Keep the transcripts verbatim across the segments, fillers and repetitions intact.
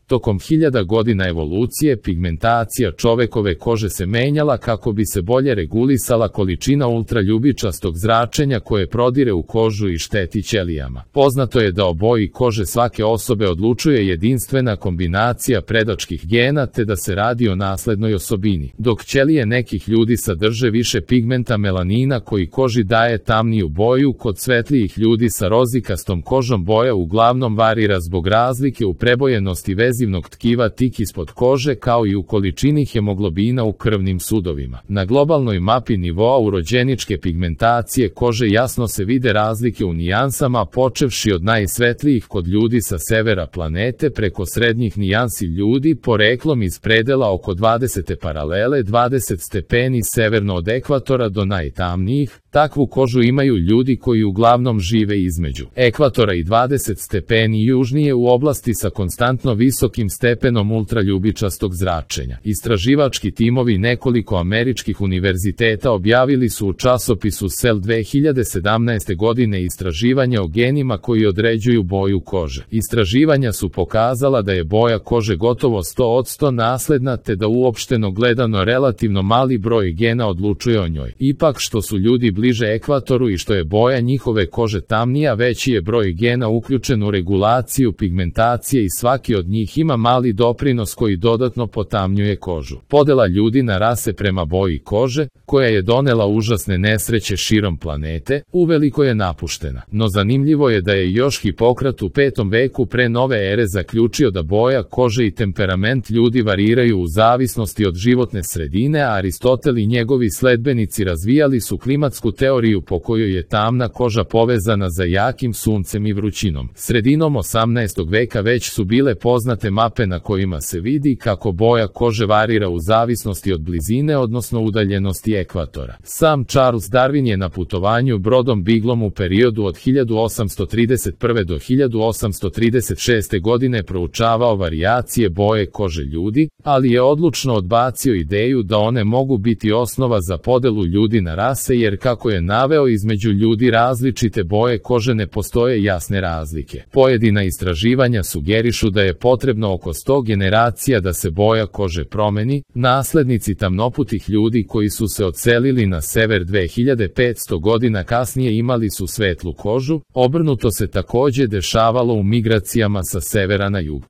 Tokom hiljada godina evolucije, pigmentacija čovekove kože se menjala kako bi se bolje regulisala količina ultraljubičastog zračenja koje prodire u kožu i šteti ćelijama. Poznato je da o boji kože svake osobe odlučuje jedinstvena kombinacija predačkih gena te da se radi o naslednoj osobini. Dok ćelije nekih ljudi sadrže više pigmenta melanina koji koži daje tamniju boju, kod svetlijih ljudi sa rozikastom kožom boja uglavnom varira zbog razlike u prebojenosti vezivnog tkiva tik ispod kože kao i u količini hemoglobina u krvnim sudovima. Na globalnoj mapi nivoa urođeničke pigmentacije kože jasno se vide razlike u nijansama, počevši od najsvetlijih kod ljudi sa severa planete preko srednjih nijansi ljudi poreklom iz predela oko dvadesete paralele dvadeset stepeni severno od ekvatora do najtamnijih. Takvu kožu imaju ljudi koji uglavnom žive između ekvatora i dvadeset stepeni južnije u oblasti sa konstantno visokim stepenom ultraljubičastog zračenja. Istraživački timovi nekoliko američkih univerziteta objavili su u časopisu Cell dve hiljade sedamnaeste. godine istraživanja o genima koji određuju boju kože. Istraživanja su pokazala da je boja kože gotovo sto posto nasledna te da uopšteno gledano relativno mali broj gena odlučuje o njoj. Ipak što su ljudi bliže ekvatoru i što je boja njihove kože tamnija, veći je broj gena uključen u regulaciju pigmentacije i svaki od njih ima mali doprinos koji dodatno potamnjuje kožu. Podela ljudi na rase prema boji kože, koja je donela užasne nesreće širom planete, uveliko je napuštena. No zanimljivo je da je još Hipokrat u petom veku pre nove ere zaključio da boja kože i temperament ljudi variraju u zavisnosti od životne sredine, a Aristotel i njegovi sledbenici razvijali su klimatsku teoriju po kojoj je tamna koža povezana za jakim suncem i vrućinom. Sredinom osamnaestog veka već su bile poznate mape na kojima se vidi kako boja kože varira u zavisnosti od blizine, odnosno udaljenosti ekvatora. Sam Charles Darwin je na putovanju brodom Beaglom u periodu od hiljadu osamsto trideset prve. do hiljadu osamsto trideset šeste. godine proučavao varijacije boje kože ljudi, ali je odlučno odbacio ideju da one mogu biti osnova za podelu ljudi na rase jer, kako je naveo, između ljudi različite boje kože ne postoje jasne razlike. Pojedina istraživanja sugerišu da je potrebno oko sto generacija da se boja kože promeni. Naslednici tamnoputih ljudi koji su se odselili na sever dve hiljade petsto. godina kasnije imali su svetlu kožu, obrnuto se takođe dešavalo u migracijama sa severa na jug.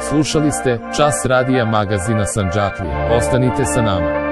Slušali ste Čas radija magazina Sandžaklija. Ostanite sa nama.